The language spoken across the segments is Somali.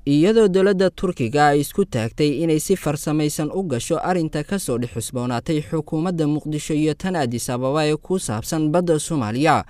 Iyadoo dowladda Turkiga ay isku taagtay inay si farsamaysan u gasho arrinta ka soo dhex xusboonaatay xukuumadda Muqdisho iyo tan Addis Ababa ee ku saabsan badda Soomaaliya,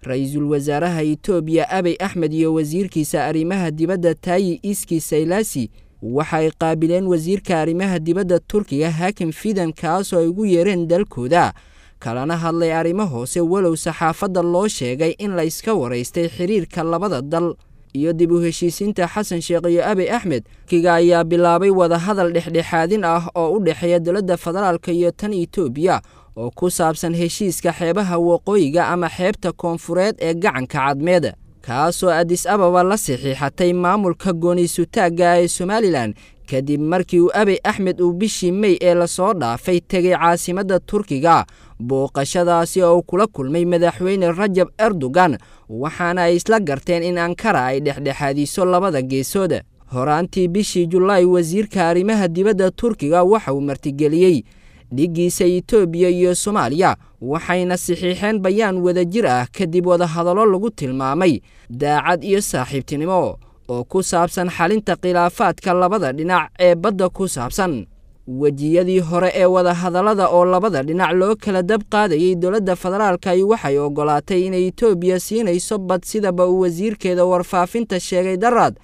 ra-iisul wasaaraha Itoobiya Abiy Axmed iyo wasiirkiisa arrimaha dibadda Taayi Iski Saylasi waxay qaabileen wasiirka arrimaha dibadda Turkiga Hakim Fidan, kaasoo ay ugu yeereen dalkooda, kalana hadlay arrimo hoose, walow saxaafadda loo sheegay in la iska waraystay xiriirka labada dal iyo dib u heshiisiinta Xasan Sheekh iyo Abiy Axmed. Turkiga ayaa bilaabay wadahadal dhexdhexaadin ah oo u dhexeeya dowladda federaalka iyo tan Itoobiya oo ku saabsan heshiiska xeebaha waqooyiga ama xeebta koonfureed ee gacanka Cadmeed, kaasoo Addis Ababa la saxiixatay maamulka gooniisutaagga ee Somalilan, kadib markii uu Abiy Axmed uu bishii Mey ee lasoo dhaafay tegay caasimadda Turkiga, booqashadaasi oo uu kula kulmay madaxweyne Rajab Erdogan, waxaana ay isla garteen in Ankara ay dhexdhexaadiso labada geesood. Horaantii bishii Julaay, wasiirka arrimaha dibadda Turkiga waxa uu martigeliyey dhiggiisa Itoobiya iyo Soomaaliya, waxayna saxiixeen bayaan wadajir ah kadib wadahadallo lagu tilmaamay daacad iyo saaxiibtinimo oo ku saabsan xalinta khilaafaadka labada dhinac ee badda ku saabsan. Wejiyadii hore ee wadahadallada oo labada dhinac loo kala dab qaadayay, dowladda federaalka waxay oggolaatay inay Itoobiya siinayso bad, sidaba uu wasiirkeeda warfaafinta sheegay daraad,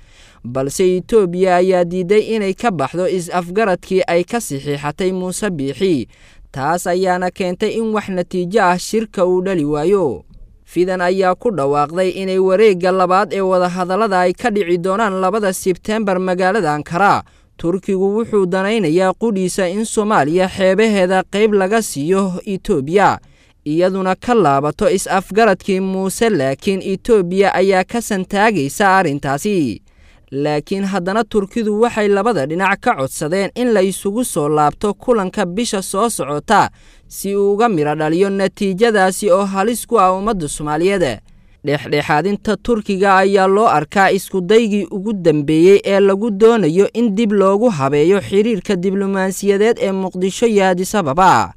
balse Itoobiya ayaa diiday inay ka baxdo is-afgaradkii ay ka saxiixatay Muuse Biixi. Taas ayaana keentay in wax natiijo ah shirka uu dhali waayo. Fidan ayaa ku dhawaaqday inay wareegga labaad ee wadahadallada ay ka dhici doonaan 2 Sebteembar magaalada Ankara. Turkigu wuxuu danaynayaa qudhiisa in Soomaaliya xeebaheeda qayb laga siiyo Itoobiya, iyaduna ka laabato is-afgaradkii Muuse, laakiin Itoobiya ayaa ka santaagaysa arrintaasi. Laakiin haddana Turkidu waxay labada dhinac ka codsadeen in la isugu soo laabto kulanka bisha soo socota si uu uga midho dhaliyo natiijadaasi oo halis ku ah ummadda Soomaaliyeed. Dhexdhexaadinta Turkiga ayaa loo arkaa iskudaygii ugu dambeeyey ee lagu doonayo in dib loogu habeeyo xiriirka diblomaasiyadeed ee Muqdisho iyo Addis Ababa,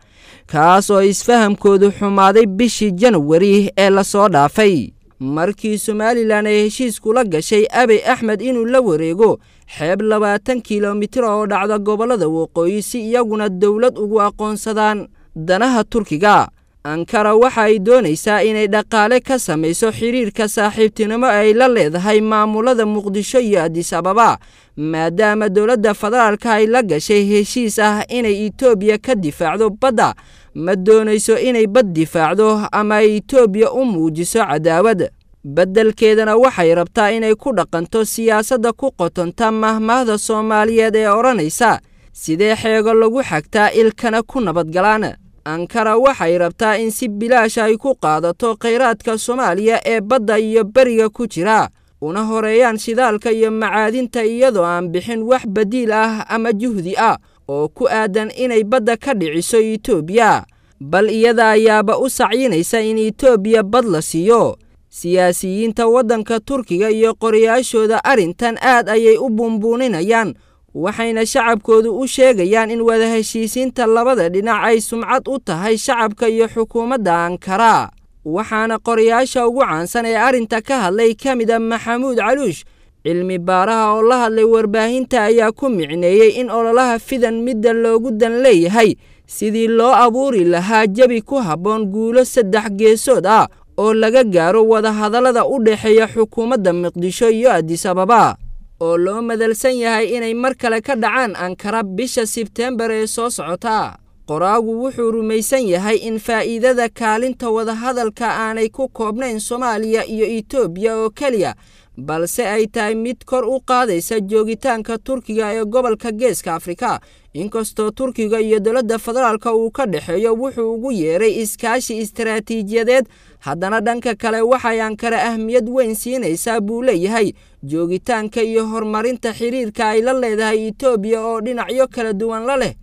kaas oo isfahamkoodu xumaaday bishii Janwari ee lasoo dhaafay, markii Somalilan ay heshiis kula gashay Abiy Axmed inuu la wareego xeeb 20 kilomitir oo dhacda gobollada waqooyi si iyaguna dowlad ugu aqoonsadaan. Danaha Turkiga: Ankara waxa ay doonaysaa inay dhaqaale ka samayso xiriirka saaxiibtinimo ay la leedahay maamulada Muqdisho iyo Addis Ababa, maadaama dowladda federaalka ay la gashay heshiis ah inay Itoobiya ka difaacdo badda. Ma doonayso inay bad difaacdo ama ay Itoobiya u muujiso cadaawad, beddelkeedana waxay rabtaa inay ku dhaqanto siyaasadda ku qotonta mahmaahda Soomaaliyeed ee odhanaysa sidee xeego lagu xagtaa ilkana ku nabadgalaan. Ankara waxay rabtaa in si bilaash ay ku qaadato khayraadka Soomaaliya ee badda iyo beriga ku jira, una horeeyaan shidaalka iyo macaadinta, iyadoo aan bixin wax badiil ah ama juhdi ah oo ku aadan inay badda ka dhiciso Itoobiya, bal iyada ayaaba u sacyinaysa in Itoobiya bad la siiyo. Siyaasiyiinta waddanka Turkiga iyo qorayaashooda arrintan aad ayay u buunbuuninayaan, waxayna shacabkoodu u sheegayaan in wada heshiisiinta labada dhinac ay sumcad u tahay shacabka iyo xukuumadda Ankara. Waxaana qorayaasha ugu caansan ee arrinta ka hadlay ka mid a Maxamuud Caluush, cilmi baaraha oo la hadlay warbaahinta ayaa ku micneeyey in ololaha Fidan midda loogu dan leeyahay sidii loo abuuri lahaa jabi ku habboon guulo saddex geesood ah oo laga gaaro wadahadallada u dhexeeya xukuumadda Muqdisho iyo Addis Ababa, oo loo madalsan yahay inay mar kale ka dhacaan Ankara bisha Sebteembar ee soo socota. Qoraagu wuxuu rumaysan yahay in faa'iidada kaalinta wadahadalka aanay ku koobnayn Soomaaliya iyo Itoobiya oo keliya, balse ay tahay mid kor u qaadaysa joogitaanka Turkiga ee gobolka Geeska Afrika. Inkastoo Turkiga iyo dowladda federaalka uu ka dhexeeyo wuxuu ugu yeeray iskaashi istaraatiijiyadeed, haddana dhanka kale waxay Ankara ahmiyad weyn siinaysaa, buu leeyahay, joogitaanka iyo horumarinta xiriirka ay la leedahay Itoobiya oo dhinacyo kala duwan la leh.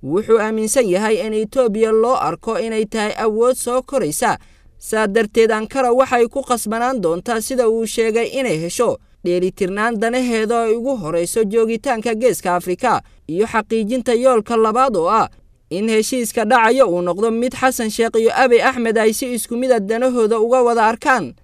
Wuxuu aaminsan yahay in Itoobiya loo arko inay tahay awood soo koraysa, saa darteed Ankara waxay ku qasbanaan doontaa, sida uu sheegay, inay hesho dheelitirnaan danaheeda ay ugu horayso joogitaanka Geeska Afrika iyo xaqiijinta yoolka labaad oo ah in heshiiska dhacayo uu noqdo mid Xasan Sheekh iyo Abiy Axmed ay si isku mid a danahooda uga wada arkaan.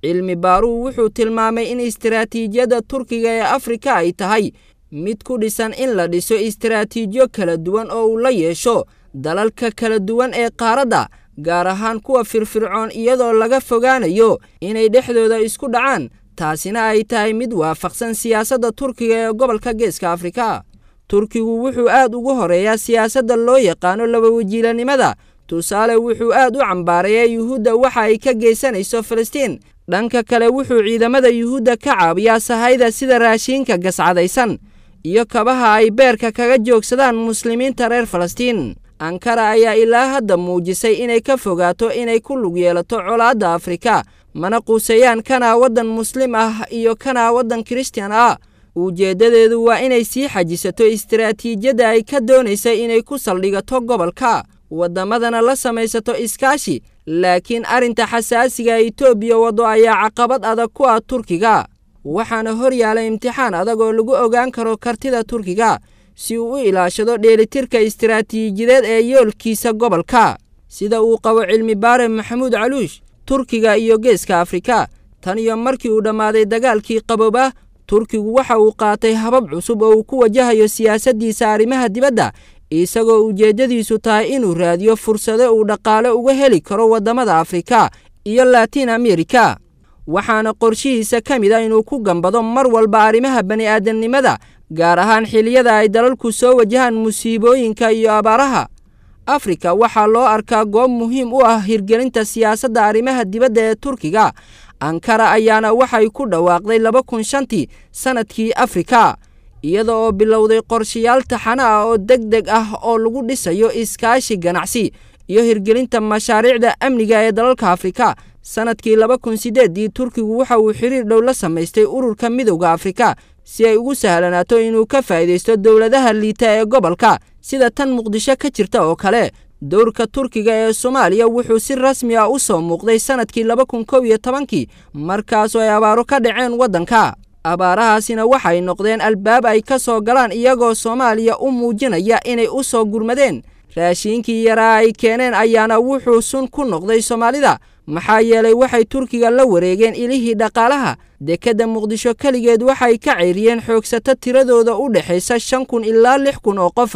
Cilmi baaruhu wuxuu tilmaamay in istiraatiijiyadda Turkiga ee Afrika ay tahay mid ku dhisan in la dhiso istiraatiijiyo kala duwan oo uu la yeesho dalalka kala duwan ee qaaradda, gaar ahaan kuwa firfircoon, iyadoo laga fogaanayo inay dhexdooda isku dhacaan, taasina ay tahay mid waafaqsan siyaasadda Turkiga ee gobolka Geeska Afrika. Turkigu wuxuu aad ugu horeeyaa siyaasadda loo yaqaano labawajiilanimada. Tusaale, wuxuu aad u cambaareeyaa Yuhuudda waxa ay ka geysanayso Falastiin. Dhanka kale, wuxuu ciidamada Yuhuudda ka caawiyaa sahayda sida raashiinka gascadaysan iyo kabaha ay beerka kaga joogsadaan muslimiinta reer Falastiin. Ankara ayaa ilaa hadda muujisay inay ka fogaato inay ku lug yeelato colaadda Afrika, mana quuseeyaan kanaa waddan muslim ah iyo kanaa waddan Kirishtan ah. Ujeeddadeedu waa inay sii xajisato istiraatiijiyadda ay ka doonaysa inay ku saldhigato gobolka, waddamadana la samaysato iskaashi. Laakiin arrinta xasaasiga Itoobiya waddo ayaa caqabad adag ku ah Turkiga, waxaana hor yaala imtixaan adag oo lagu ogaan karo kartida Turkiga si uu u ilaashado dheelitirka istiraatiijiyadeed ee yoolkiisa gobolka. Sida uu qabo cilmi baare Maxamuud Caluush, Turkiga iyo Geeska Afrika tan iyo markii uu dhammaaday dagaalkii qabooba, Turkigu waxa uu qaatay habab cusub oo uu ku wajahayo siyaasaddiisa arrimaha dibadda, isagoo ujeeddadiisu tahay inuu raadiyo fursado uu dhaqaale uga heli karo waddamada Afrika iyo Latin America. Waxaana qorshihiisa ka mid ah inuu ku gambado mar walba arrimaha bani'aadamnimada, gaar ahaan xilliyada ay dalalku soo wajahaan musiibooyinka iyo abaaraha. Afrika waxaa loo arkaa goob muhiim u ah hirgelinta siyaasadda arrimaha dibadda ee Turkiga. Ankara ayaana waxay ku dhawaaqday 2005-tii sanadkii Afrika, iyada oo bilowday qorshayaal taxane ah oo deg deg ah oo lagu dhisayo iskaashi ganacsi iyo hirgelinta mashaariicda amniga ee dalalka Afrika. Sanadkii 2008-dii, Turkigu waxa uu xiriir dhow la samaystay ururka Midowda Afrika si ay ugu sahlanaato inuu ka faa'iidaysto dowladaha liita ee gobolka, sida tan Muqdisho ka jirta oo kale. Dowrka Turkiga ee Soomaaliya wuxuu si rasmi ah u soo muuqday sanadkii 2011-kii, markaasoo ay abaaro ka dhaceen waddanka. Abaarahaasina waxay noqdeen albaab ay ka soo galaan, iyagoo Soomaaliya u muujinaya inay u soo gurmadeen. Raashiinkii yaraa ay keeneen ayaana wuxuu sun ku noqday Soomaalida, maxaa yeelay waxay Turkiga la wareegeen ilihii dhaqaalaha. Dekedda Muqdisho keligeed waxay ka ceyriyeen xoogsato tiradooda u dhexaysa 5000 ilaa 6000 oo qof,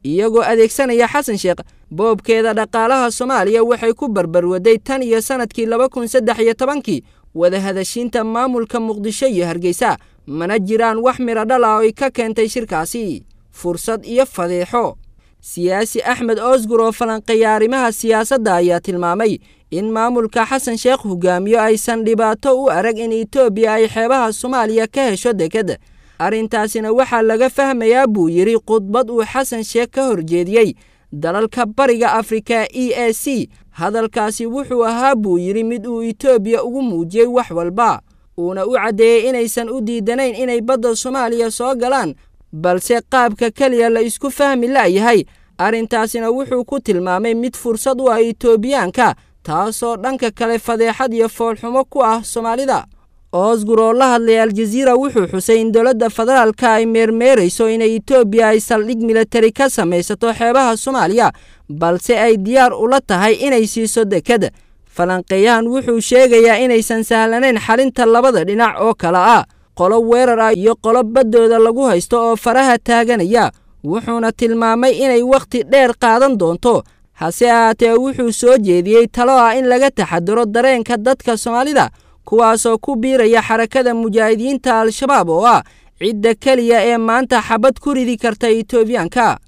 iyagoo adeegsanaya Xasan Sheekh. Boobkeeda dhaqaalaha Soomaaliya waxay ku barbarwaday tan iyo sanadkii 2013-kii wadahadashiinta maamulka Muqdisho iyo Hargeysa, mana jiraan wax midho dhal ah oo ay ka keentay shirkaasi. Fursad iyo fadeexo. Siyaasi Axmed Oosgur oo falanqeeya arrimaha siyaasadda ayaa tilmaamay in maamulka Xasan Sheekh hogaamiyo aysan dhibaato u arag in Itoobiya ay xeebaha Soomaaliya ka hesho deked. Arrintaasina waxaa laga fahmayaa, buu yidhi, khudbad uu Xasan Sheekh ka horjeediyey dalalka Bariga Afrika EAC. Hadalkaasi wuxuu ahaa, buu yidhi, mid uu Itoobiya ugu muujiyey wax walba, uuna u caddeeyey inaysan u diidanayn inay badda Soomaaliya soo galaan, balse qaabka keliya la isku fahmi la'yahay. Arrintaasina wuxuu ku tilmaamay mid fursad u ah Itoobiyaanka, taasoo dhanka kale fadeexad iyo foolxumo ku ah Soomaalida. Oosgur oo la hadlay Aljaziira wuxuu xusay in dowladda federaalka ay meermeerayso inay Itoobiya ay saldhig militari ka samaysato xeebaha Soomaaliya, balse ay diyaar ula tahay inay siiso deked. Falanqeeyahan wuxuu sheegayaa inaysan sahlanayn xalinta labada dhinac oo kale ah qolo weerar ah iyo qolo baddooda lagu haysto oo faraha taaganaya, wuxuuna tilmaamay inay wakhti dheer qaadan doonto. Hase ahaatee, wuxuu soo jeediyey talo ah in laga taxadaro dareenka dadka Soomaalida, kuwaasoo ku biiraya Xarakada Mujaahidiinta Al-Shabaab oo ah cidda keliya ee maanta xabad ku ridi karta Itoobiyaanka.